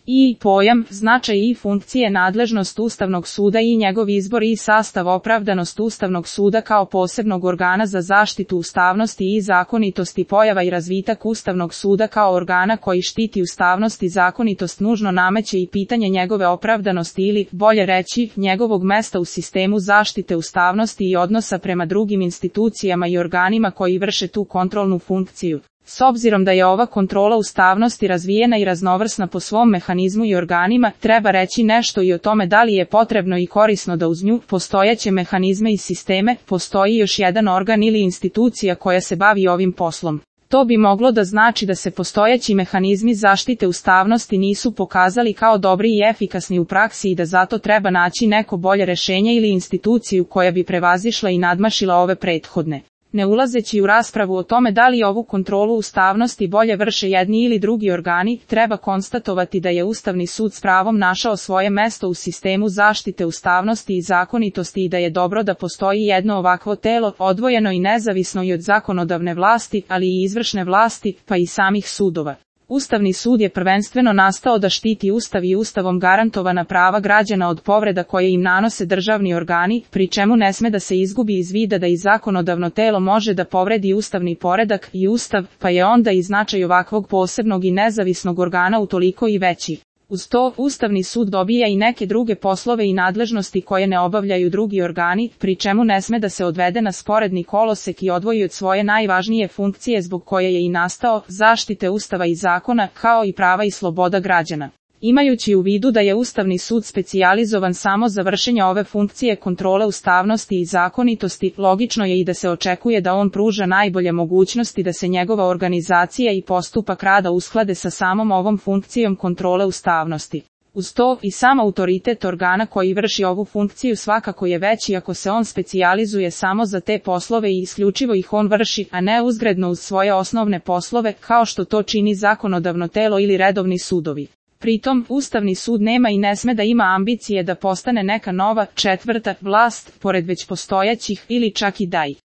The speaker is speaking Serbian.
I pojam, značaj i funkcije, nadležnost Ustavnog suda i njegov izbor i sastav, opravdanost Ustavnog suda kao posebnog organa za zaštitu ustavnosti i zakonitosti, pojava i razvitak Ustavnog suda kao organa koji štiti ustavnost i zakonitost nužno nameće i pitanje njegove opravdanosti ili, bolje reći, njegovog mesta u sistemu zaštite ustavnosti i odnosa prema drugim institucijama i organima koji vrše tu kontrolnu funkciju. S obzirom da je ova kontrola ustavnosti razvijena i raznovrsna po svom mehanizmu i organima, treba reći nešto i o tome da li je potrebno i korisno da uz nju postojeće mehanizme i sisteme postoji još jedan organ ili institucija koja se bavi ovim poslom. To bi moglo da znači da se postojeći mehanizmi zaštite ustavnosti nisu pokazali kao dobri i efikasni u praksi i da zato treba naći neko bolje rešenje ili instituciju koja bi prevazišla i nadmašila ove prethodne. Ne ulazeći u raspravu o tome da li ovu kontrolu ustavnosti bolje vrše jedni ili drugi organi, treba konstatovati da je Ustavni sud s pravom našao svoje mesto u sistemu zaštite ustavnosti i zakonitosti i da je dobro da postoji jedno ovakvo telo, odvojeno i nezavisno i od zakonodavne vlasti, ali i izvršne vlasti, pa i samih sudova. Ustavni sud je prvenstveno nastao da štiti Ustav i Ustavom garantovana prava građana od povreda koje im nanose državni organi, pri čemu ne sme da se izgubi iz vida da i zakonodavno telo može da povredi ustavni poredak i Ustav, pa je onda i značaj ovakvog posebnog i nezavisnog organa utoliko i veći. Uz to, Ustavni sud dobija i neke druge poslove i nadležnosti koje ne obavljaju drugi organi, pri čemu ne sme da se odvede na sporedni kolosek i odvoji od svoje najvažnije funkcije zbog koje je i nastao, zaštite Ustava i zakona, kao i prava i sloboda građana. Imajući u vidu da je Ustavni sud specijalizovan samo za vršenje ove funkcije kontrole ustavnosti i zakonitosti, logično je i da se očekuje da on pruža najbolje mogućnosti da se njegova organizacija i postupak rada usklade sa samom ovom funkcijom kontrole ustavnosti. Uz to, i sam autoritet organa koji vrši ovu funkciju svakako je veći ako se on specijalizuje samo za te poslove i isključivo ih on vrši, a ne uzgredno uz svoje osnovne poslove, kao što to čini zakonodavno telo ili redovni sudovi. Pritom, Ustavni sud nema i ne sme da ima ambicije da postane neka nova, četvrta vlast, pored već postojećih, ili čak i da